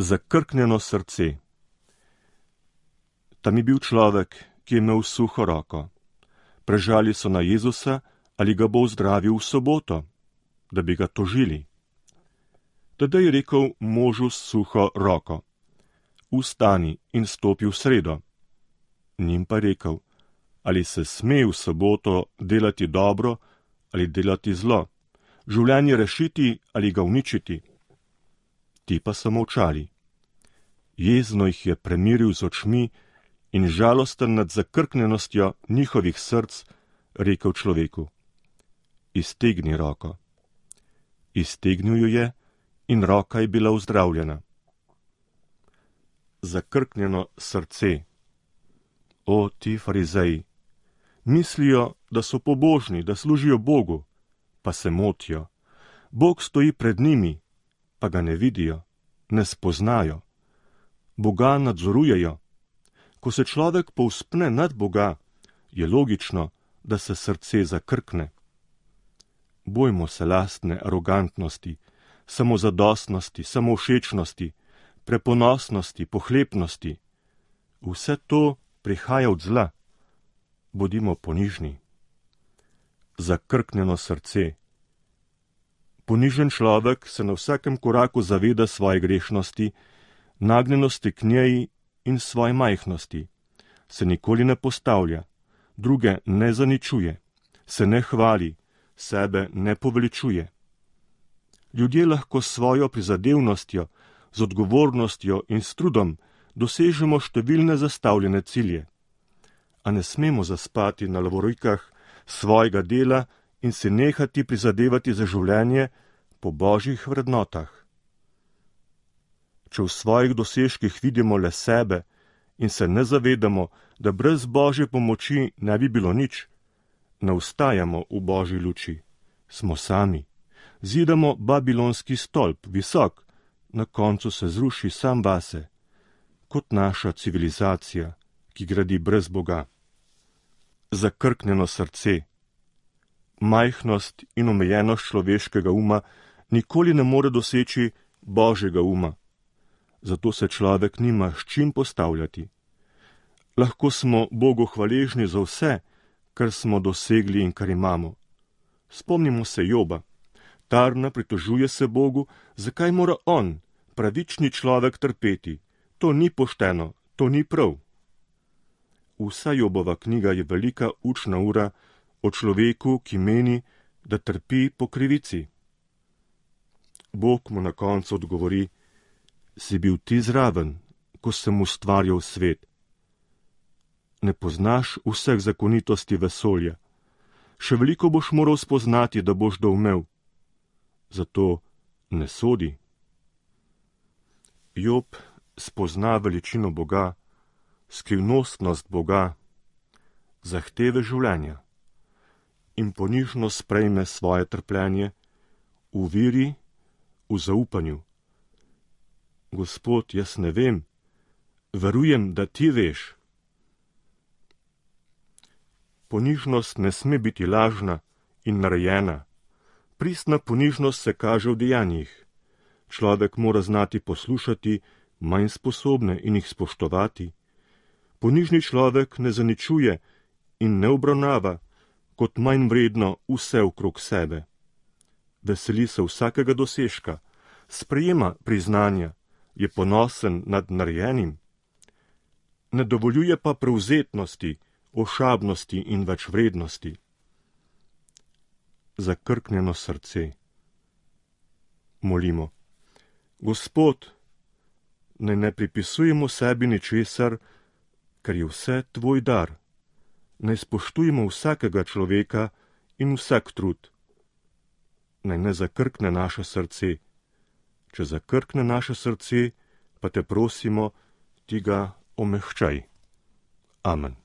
Zakrknjeno srce. Tam je bil človek, ki je imel suho roko. Prežali so na Jezusa, ali ga bo ozdravil v soboto, da bi ga tožili. Tedaj je rekel možu s suho roko: Vstani in stopi v sredo. Njim pa rekel: Ali se sme v soboto delati dobro ali delati zlo, življenje rešiti ali ga uničiti? Ti pa so molčali. Jezno jih je premiril z očmi in žalosten nad zakrknjenostjo njihovih src rekel človeku: Iztegni roko. Iztegnil jo je in roka je bila ozdravljena. Zakrknjeno srce. O, ti farizeji! Mislijo, da so pobožni, da služijo Bogu, pa se motijo. Bog stoji pred njimi, pa ga ne vidijo, ne spoznajo. Boga nadzorujejo. Ko se človek povzpne nad Boga, je logično, da se srce zakrkne. Bojmo se lastne arogantnosti, samozadostnosti, samovšečnosti, preponosnosti, pohlepnosti. Vse to prihaja od zla. Bodimo ponižni. Zakrknjeno srce. Ponižen človek se na vsakem koraku zaveda svoje grešnosti, nagnjenosti k njej in svoje majhnosti. Se nikoli ne postavlja, druge ne zaničuje, se ne hvali, sebe ne poveličuje. Ljudje lahko s svojo prizadevnostjo, z odgovornostjo in s trudom dosežemo številne zastavljene cilje. A ne smemo zaspati na lovorikah svojega dela in se nehati prizadevati za življenje po božjih vrednotah. Če v svojih dosežkih vidimo le sebe in se ne zavedamo, da brez božje pomoči ne bi bilo nič, ne ustajamo v božji luči. Smo sami. Zidamo babilonski stolp, visok, na koncu se zruši sam vase, kot naša civilizacija, ki gradi brez Boga. Zakrknjeno srce. Majhnost in omejenost človeškega uma nikoli ne more doseči božjega uma. Zato se človek nima s čim postavljati. Lahko smo Bogu hvaležni za vse, kar smo dosegli in kar imamo. Spomnimo se Joba. Tarna pritožuje se Bogu, zakaj mora on, pravični človek, trpeti. To ni pošteno, to ni prav. Vsa Jobova knjiga je velika učna ura o človeku, ki meni, da trpi po krivici. Bog mu na koncu odgovori: Si bil ti zraven, ko sem ustvarjal svet? Ne poznaš vseh zakonitosti vesolja. Še veliko boš moral spoznati, da boš doumel. Zato ne sodi. Job spozna veličino Boga, skrivnostnost Boga, zahteve življenja in ponižno sprejme svoje trpljenje v veri, v zaupanju. Gospod, jaz ne vem, verujem, da ti veš. Ponižnost ne sme biti lažna in narejena. Pristna ponižnost se kaže v dejanjih. Človek mora znati poslušati manj sposobne in jih spoštovati. Ponižni človek ne zaničuje in ne obravnava kot manj vredno vse okrog sebe. Veseli se vsakega dosežka, sprejema priznanja, je ponosen nad narejenim. Ne dovoljuje pa prevzetnosti, ošabnosti in večvrednosti. Zakrknjeno srce. Molimo. Gospod, naj ne pripisujemo sebi ničesar, ker je vse tvoj dar. Naj spoštujemo vsakega človeka in vsak trud. Naj ne zakrkne naše srce. Če zakrkne naše srce, pa te prosimo, ti ga omehčaj. Amen.